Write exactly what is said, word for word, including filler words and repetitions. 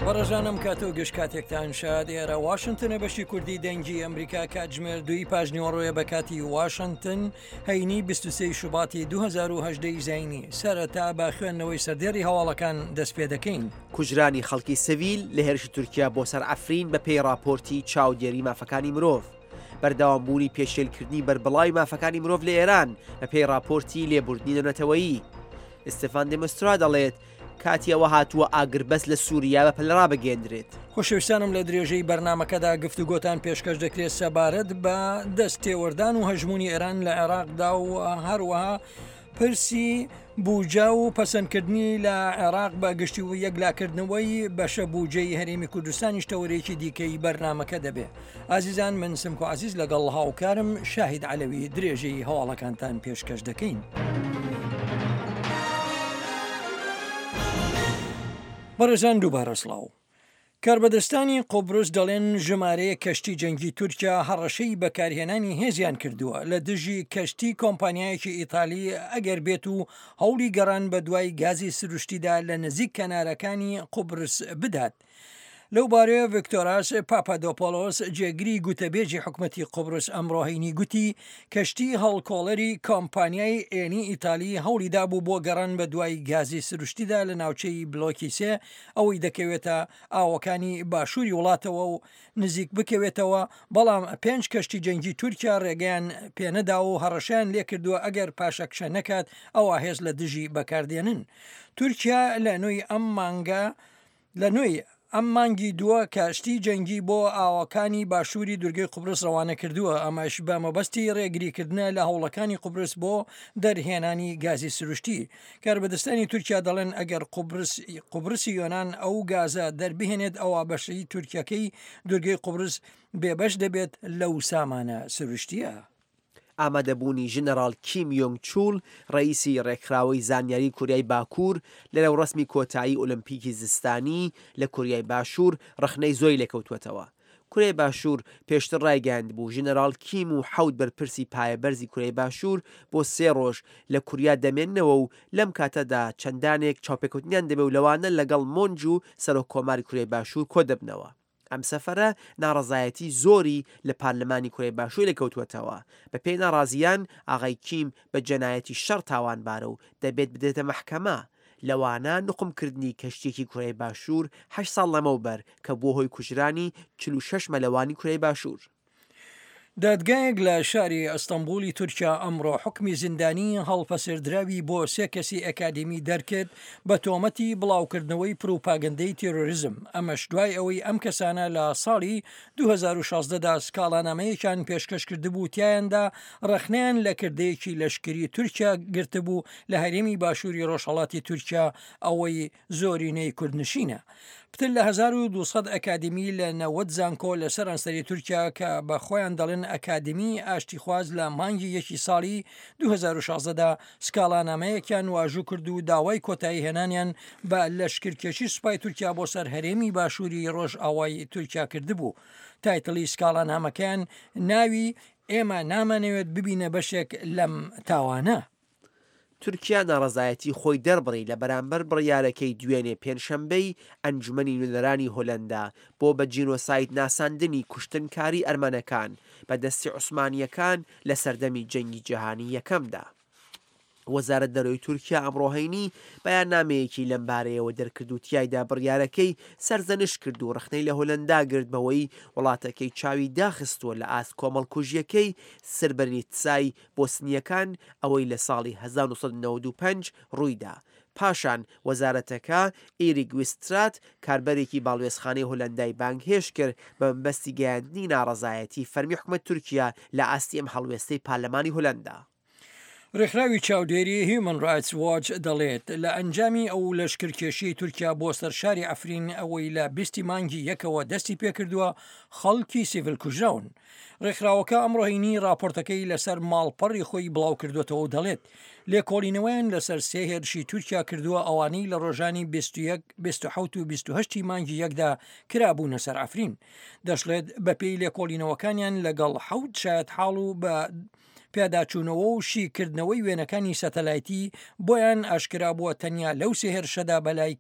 بەڕێزانم کات و گشت کاتێکتان شاد. ئێرە واشنگتنە، بەشی کوردی دەنگی ئەمریکا. کاتژمێر دووی پاژنیوەڕۆیە بە کاتی واشنگتن، هەینی بیست و سێ شوباتی دوو هەزار و هەژدە زایینی. سەرەتا بە خوێندنەوەی سەردێڕی هەواڵەکان دەست پێ دەکەین. کوژرانی خەڵکی سڤیل لە هێرشی تورکیا بۆ سەر عەفرین بە پێی راپۆرتی چاودێری مافەکانی مرۆڤ. بەردەوامبوونی پێشێلکردنی بەربڵاوی مافەکانی مرۆڤ لە ئێران بە پێی راپۆرتی لێبوردنی نێونەتەوەیی. ئیستفان دێمسترا دەڵێت کاتی ئەوە هاتووە ئاگربەست لە سووریا بە پەلە ڕابگەیەندرێت. خۆشەویستانم لە درێژەی بەرنامەکەدا گفتوگۆتان پێشکەش دەکرێت سەبارەت بە دەست تێوەردان و هەژمونی ئێران لە عێراقدا و هەروەها پرسی بوجا و پەسەندکردنی لە عێراق بە گشتی و یەکلاکردنەوەی بەشە بوجەی هەرێمی کوردستانیش تەوەرێکی دیکەی بەرنامەکە دەبێت. ئازیزان، من سمکۆ عزیز لەگەڵ هاوکارم شاهید عەلەوی درێژەی هەواڵەکانتان پێشکەش دەکەین. بەڕێزان دووبارە سڵاو. کاربەدەستانی قوبرس دەڵێن ژمارەیە کەشتی جەنگی تورکیا هەڕەشەی بەکارهێنانی هێزیان کردووە لە دژی کەشتی کۆمپانیایەکی ئیتالی ئەگەر بێت و هەوڵی گەڕان بە دوای گازی سروشتیدا لە نزیک کەنارەکانی قوبرس بدات. لەو بارەیە ڤیکتۆراس پاپادۆپۆلۆس جێگری گوتەبێژی حکومەتی قوبرس ئەمڕۆ هەینی گوتی کەشتی هەڵکۆڵەری کۆمپانیای ئێنی ئیتالی هەوڵی دابوو بۆ گەڕان بە دوای گازی سروشتیدا لە ناوچەی بلۆکی سێ ئەوەی دەکەوێتە ئاوەکانی باشووری وڵاتەوە و نزیک بکەوێتەوە، بەڵام پێنج کەشتی جەنگی تورکیا ڕێگەیان پێنەدا و هەڕەشەیان لێکردووە ئەگەر پاشەکشە نەکات ئەوە هێز لە دژی بەکاردێنن. تورکیا لە نوێی ئەم مانگە لە نوێی ئەم مانگی دووە کەشتی جەنگی بۆ ئاوەکانی باشووری دوورگەی قوبرس ڕەوانە کردووە، ئەمەش بە مەبەستی ڕێگریکردنە لە هەوڵەکانی قوبرس بۆ دەرهێنانی گازی سروشتی. کاربەدەستانی تورکیا دەڵێن ئەگەر قوبرسی یۆناان ئەو گازە دەربهێنێت ئەوە بەشەی تورکیەکەی دوورگەی قوبرس بێبەش دەبێت لەو سامانە سروشتیە. ئامادەبوونی ژنەراڵ کیم یۆنگ چول ڕئیسی ڕێکخراوەی زانیاری کوریای باکوور لە ڕێوڕەسمی کۆتایی ئۆلمپیکی زستانی لە کوریای باشوور ڕەخنەی زۆری لێکەوتووەتەوە. کوریای باشوور پێشتر ڕایگەیاند بوو ژنەراڵ کیم و حەوت بەرپرسی پایەبەرزی کوریای باشوور بۆ سێ ڕۆژ لە کوریا دەمێننەوە و لەم کاتەدا چەندانێک چاوپێکەوتنیان دەبێ و لەوانە لەگەڵ مۆنج و سەرۆک کۆماری کوریای باشوور کۆ دەبنەوە. ئەم سەفەرە ناڕەزایەتی زۆری لە پارلەمانی کوریای باشوور لێکەوتووەتەوە. بە پێی ناڕازیان ئاغای کیم بە جەنایەتی شەڕ تاوانبارە و دەبێت بدرێتە مەحکەمە. لەوانە نقمکردنی کەشتێکی کوریای باشوور هەشت ساڵ لەمەوبەر کە بووە هۆی کوژرانی چل و شەش مەلەوانی کوریای باشوور. دادگایەک لە شاری ئەستەنبوڵی تورکیا ئەمڕۆ حکمی زیندانی هەڵپەسێردراوی بۆ سێ کەسی ئەکادیمی دەرکرد بە تۆمەتی بڵاوکردنەوەی پروپاگەندەی تێرۆریزم، ئەمەش دوای ئەوەی ئەم کەسانە لە ساڵی دوو هەزار و شازدە دا سکاڵانامەیەکیان پێشکەش کردبوو تیایاندا ڕەخنەیان لە کردەیەکی لەشکری تورکیا گرتبوو لە هەرێمی باشووری ڕۆژهەڵاتی تورکیا ئەوەی زۆرینەی کوردنشینە. پتر لە هەزار و دوو سەد ئەکادیمی لە نەوەد زانکۆ لە سەرانسەری تورکیا کە بە خۆیان دەڵێن ئەکادیمی ئاشتیخواز لە مانگی یەکی ساڵی دوو هەزار و شازدە دا سکاڵانامەیەکیان واژوو کرد و داوای کۆتایی هێنانیان بە لەشکرکێشی سوپای تورکیا بۆ سەر هەرێمی باشووری ڕۆژئاوای تورکیا کردبوو. تایتڵی سکاڵانامەکەیان ناوی ئێمە نامانەوێت ببینە بەشێک لەم تاوانە. تورکیا ناڕەزایەتی خۆی دەربڕی لە بەرامبەر بڕیارەکەی دوێنێ پێنجشەنبەی ئەنجومەنی نوێنەرانی هۆلەندا بۆ بە جینۆساید ناساندنی کوشتنکاری ئەرمەنەکان بە دەستی عوسمانیەکان لە سەردەمی جەنگی جیهانی یەکەمدا. وەزارەت دەرەوەی تورکیا ئەمڕۆ هەینی بەیاننامەیەکی لەمبارەیەوە دەرکرد و تیایدا بڕیارەکەی سەرزەنشت کرد و ڕەخنەی لە هۆلەندا گرت بەوەی وڵاتەکەی چاوی داخستووە لە ئاست کۆمەڵکوژیەکەی سربرنیتسای بۆسنیەکان ئەوەی لە ساڵی هەزار و نۆ سەد و نەوەد و پێنج ڕوویدا. پاشان وەزارەتەکە ئیریک ویسترات کاربەرێکی باڵوێزخانەی هۆلەندای بانگهێشت کرد بە مەبەستی گەیاندنی ناڕەزایەتی فەرمی حکومەت تورکیا لە ئاستی ئەم هەڵوێستەی پارلەمانی هۆلەندا. ڕێکخراوی چاودێری هیومن ڕایتس واچ دەڵێت لە ئەنجامی ئەو لەشکرکێشی تورکیا بۆ سەر شاری عەفرین ئەوەی لە بیستی مانگی یەکەوە دەستی پێکردووە خەڵکی سیڤیل کوژراون. ڕێکخراوەکە ئەمڕۆ هەینی راپۆرتەکەی لەسەر ماڵپەڕی خۆی بڵاو کردوێتەوە و دەڵێت لێکۆڵینەوەیان لەسەر سێ هێرشی تورکیا کردووە ئەوانەی لە ڕۆژانی بیست و یەک، بیست و حەوت و بیست و هەشت مانگی یەکدا کرابوونە سەر عەفرین. دەشڵێت بەپێی لێکۆڵینەوەکانیان لەگەڵ حەوت شایەتحاڵ و بە پیاداچوونەوە و شیکردنەوەی وێنەکانی سەتەلایتی بۆیان ئاشکرا بووە تەنیا لەو سێ هێرشەدا بەلای